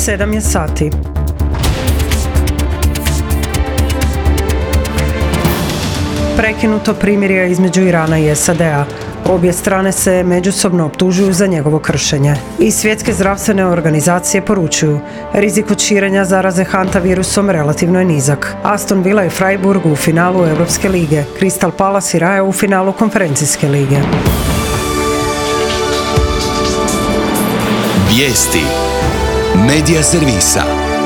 7 je sati. Prekinuto primirje između Irana i SAD-a. Obje strane se međusobno optužuju za njegovo kršenje. I svjetske zdravstvene organizacije poručuju, rizik od širenja zaraze hantavirusom relativno je nizak. Aston Villa i Freiburg u finalu Europske lige, Crystal Palace i Raja u finalu Konferencijske lige. Vijesti Medija servisa.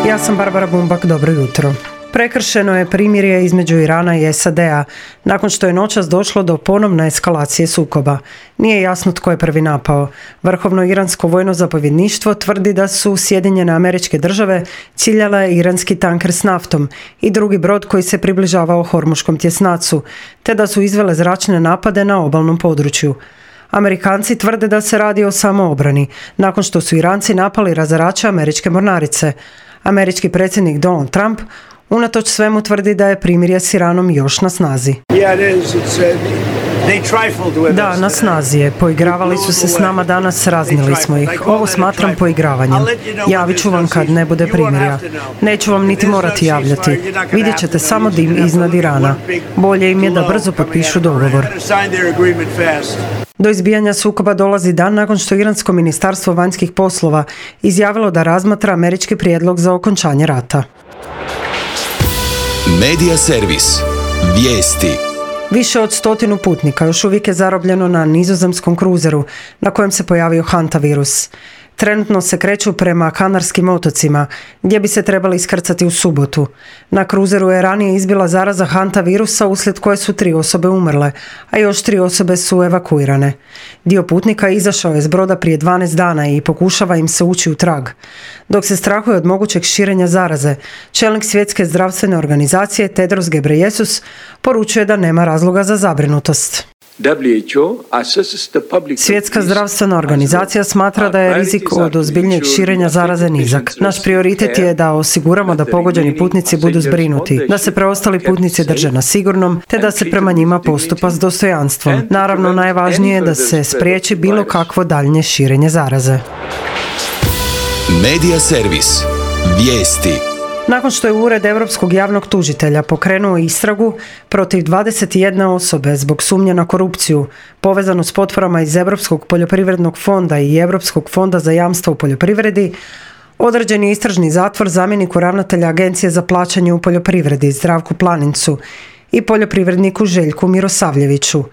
Ja sam Barbara Bumbak, dobro jutro. Prekršeno je primirje između Irana i SAD-a nakon što je noćas došlo do ponovne eskalacije sukoba. Nije jasno tko je prvi napao. Vrhovno iransko vojno zapovjedništvo tvrdi da su Sjedinjene Američke Države ciljale iranski tanker s naftom i drugi brod koji se približavao Hormuškom tjesnacu, te da su izvele zračne napade na obalnom području. Amerikanci tvrde da se radi o samoobrani, nakon što su Iranci napali razarače američke mornarice. Američki predsjednik Donald Trump unatoč svemu tvrdi da je primirje s Iranom još na snazi. Da, na snazi je. Poigravali su se s nama danas, raznili smo ih. Ovo smatram poigravanjem. Javit ću vam kad ne bude primirja. Neću vam niti morati javljati. Vidjet ćete samo dim iznad Irana. Bolje im je da brzo potpišu dogovor. Do izbijanja sukoba dolazi dan nakon što Iransko ministarstvo vanjskih poslova izjavilo da razmatra američki prijedlog za okončanje rata. Medija servis. Vijesti. Više od 100 putnika još uvijek je zarobljeno na nizozemskom kruzeru na kojem se pojavio hantavirus. Trenutno se kreću prema Kanarskim otocima, gdje bi se trebali iskrcati u subotu. Na kruzeru je ranije izbila zaraza hantavirusa uslijed koje su 3 osobe umrle, a još 3 osobe su evakuirane. Dio putnika izašao je s broda prije 12 dana i pokušava im se ući u trag. Dok se strahuje od mogućeg širenja zaraze, čelnik Svjetske zdravstvene organizacije Tedros Ghebreyesus poručuje da nema razloga za zabrinutost. Svjetska zdravstvena organizacija smatra da je rizik od ozbiljnijeg širenja zaraze nizak. Naš prioritet je da osiguramo da pogođeni putnici budu zbrinuti, da se preostali putnici drže na sigurnom, te da se prema njima postupa s dostojanstvom. Naravno, najvažnije je da se spriječi bilo kakvo daljnje širenje zaraze. Medija servis. Vijesti. Nakon što je Ured Europskog javnog tužitelja pokrenuo istragu protiv 21 osobe zbog sumnje na korupciju povezanu s potporama iz Europskog poljoprivrednog fonda i Europskog fonda za jamstvo u poljoprivredi, određen je istražni zatvor zamjeniku ravnatelja Agencije za plaćanje u poljoprivredi Zdravku Planincu i poljoprivredniku Željku Mirosavljeviću.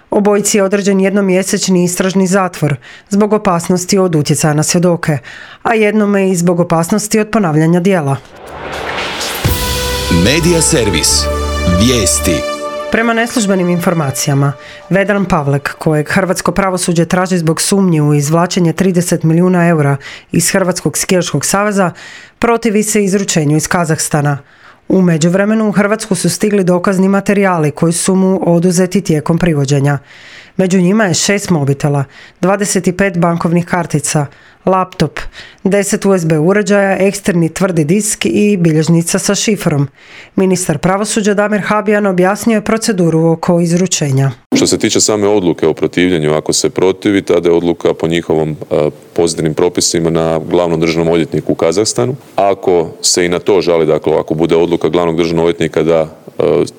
Obojici je određen jednomjesečni istražni zatvor zbog opasnosti od utjecaja na svjedoke, a jednome i zbog opasnosti od ponavljanja djela. Medija servis. Vijesti. Prema neslužbenim informacijama, Vedran Pavlek, kojeg hrvatsko pravosuđe traži zbog sumnji u izvlačenje 30 milijuna eura iz Hrvatskog skijaškog saveza, protivi se izručenju iz Kazahstana. U međuvremenu u Hrvatsku su stigli dokazni materijali koji su mu oduzeti tijekom privođenja. Među njima je 6 mobitela, 25 bankovnih kartica, laptop, 10 USB uređaja, eksterni tvrdi disk i bilježnica sa šifrom. Ministar pravosuđa Damir Habijan objasnio je proceduru oko izručenja. Što se tiče same odluke o protivljenju, ako se protivi, tada je odluka po njihovom pozitivnim propisima na glavnom državnom odvjetniku u Kazahstanu. Ako se i na to žali, dakle ako bude odluka glavnog državnog odvjetnika da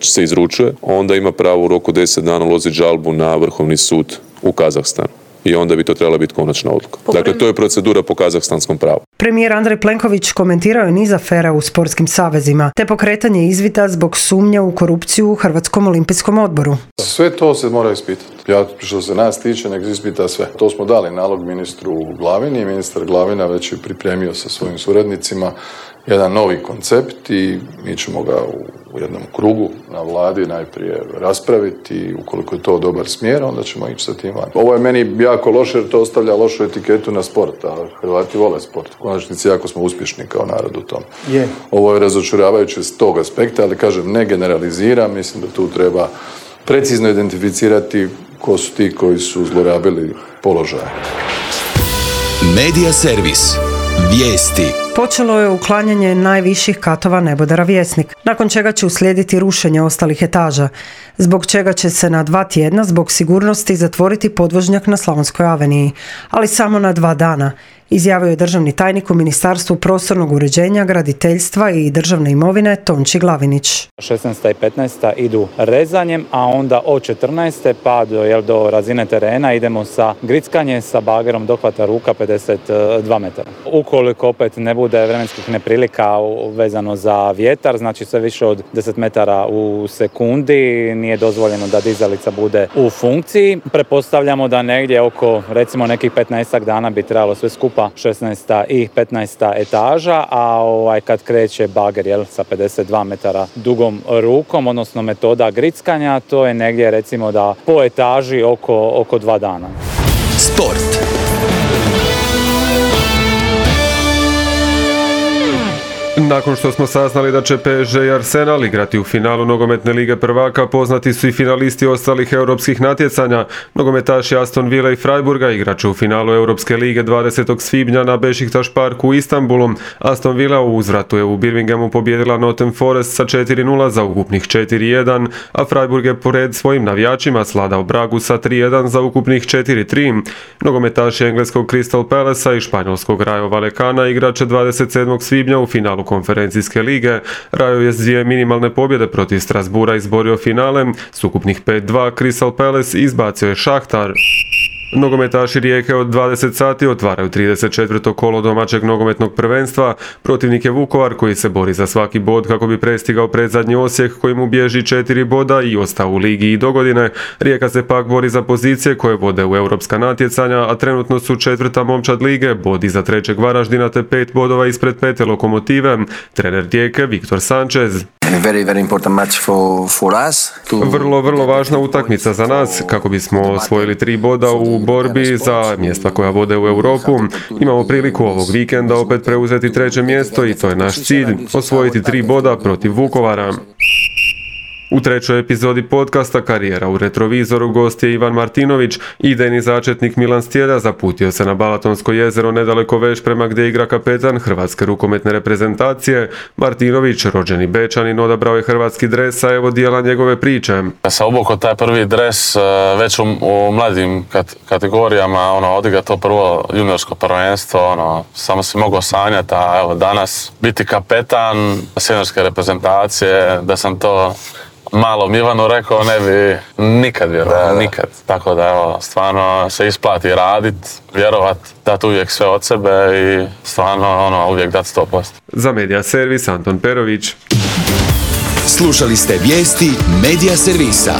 se izručuje, onda ima pravo u roku 10 dana uložiti žalbu na Vrhovni sud u Kazahstanu. I onda bi to trebala biti konačna odluka. Dakle, to je procedura po kazahstanskom pravu. Premijer Andrej Plenković komentirao je niz afera u sportskim savezima, te pokretanje izvida zbog sumnja u korupciju u Hrvatskom olimpijskom odboru. Sve to se mora ispitati. Što se nas tiče, nek ispita sve. To smo dali nalog ministru Glavini i ministar Glavina već je pripremio sa svojim suradnicima jedan novi koncept i mi ćemo ga u jednom krugu na vladi najprije raspraviti i ukoliko je to dobar smjer, onda ćemo ići sa tim van. Ovo je meni jako loše jer to ostavlja lošu etiketu na sport, a Hrvati vole sport. U konačnici jako smo uspješni kao narod u tom. Ovo je razočaravajuće s tog aspekta, ali kažem, ne generaliziram, mislim da tu treba precizno identificirati ko su ti koji su zlorabili položaje. Medija servis. Vijesti. Počelo je uklanjanje najviših katova nebodera Vjesnik, nakon čega će uslijediti rušenje ostalih etaža, zbog čega će se na 2 tjedna zbog sigurnosti zatvoriti podvožnjak na Slavonskoj aveniji, ali samo na 2 dana, izjavio je državni tajnik u Ministarstvu prostornog uređenja, graditeljstva i državne imovine Tonči Glavinić. 16. i 15. idu rezanjem, a onda od 14. pa do razine terena idemo sa grickanjem sa bagerom dohvata ruka 52 metara. Ukoliko opet ne bude vremenskih neprilika vezano za vjetar, znači sve više od 10 metara u sekundi, nije dozvoljeno da dizalica bude u funkciji. Pretpostavljamo da negdje oko recimo nekih 15 dana bi trebalo sve skupa 16. i 15. etaža, a kad kreće bager sa 52 metara dugom rukom, odnosno metoda grickanja, to je negdje recimo da po etaži oko 2 dana. Sport. Nakon što smo saznali da će PSG i Arsenal igrati u finalu nogometne lige prvaka, poznati su i finalisti ostalih europskih natjecanja. Nogometaši Aston Villa i Freiburga igrat će u finalu Europske lige 20. svibnja na Beşiktaş parku u Istanbulu. Aston Villa u uzvratu je u Birminghamu pobijedila Nottingham Forest sa 4-0 za ukupnih 4-1, a Freiburg je pored svojim navijačima sladao Bragu sa 3-1 za ukupnih 4-3. Nogometaši engleskog Crystal Palacea i španjolskog Rayo Vallecana igrat će 27. svibnja u finalu konferencijske lige. Rayo je s 2 minimalne pobjede protiv Strasbourga izborio finale. S ukupnih 5-2 Crystal Palace izbacio je Šahtar. Nogometaši Rijeke od 20 sati otvaraju 34. kolo domaćeg nogometnog prvenstva. Protivnik je Vukovar koji se bori za svaki bod kako bi prestigao predzadnji Osijek koji mu bježi 4 boda i ostao u ligi i dogodine. Rijeka se pak bori za pozicije koje vode u europska natjecanja, a trenutno su 4. momčad lige, bod iza 3. Varaždina te 5 bodova ispred 5. Lokomotive. Trener Rijeke Viktor Sanchez. Vrlo važna utakmica za nas kako bismo osvojili 3 boda u borbi za mjesta koja vode u Europu. Imamo priliku ovog vikenda opet preuzeti 3. mjesto i to je naš cilj, osvojiti 3 boda protiv Vukovara. U 3. epizodi podcasta Karijera u retrovizoru gost je Ivan Martinović, idejni začetnik Milan Stjelja zaputio se na Balatonsko jezero nedaleko Veš prema gdje igra kapetan hrvatske rukometne reprezentacije. Martinović, rođeni Bečanin, odabrao je hrvatski dres, a evo dijela njegove priče. Ja sam obukao taj prvi dres već u mladim kategorijama, odigrati to prvo juniorsko prvenstvo, samo si mogao sanjati, a evo danas biti kapetan seniorske reprezentacije, da sam to malom Ivanu rekao, ne bi nikad vjerovao, nikad. Tako da evo, stvarno se isplati radit, vjerovat, dati uvijek sve od sebe i stvarno uvijek dati 100%. Za Medija servis Anton Perović. Slušali ste vijesti Medija servisa.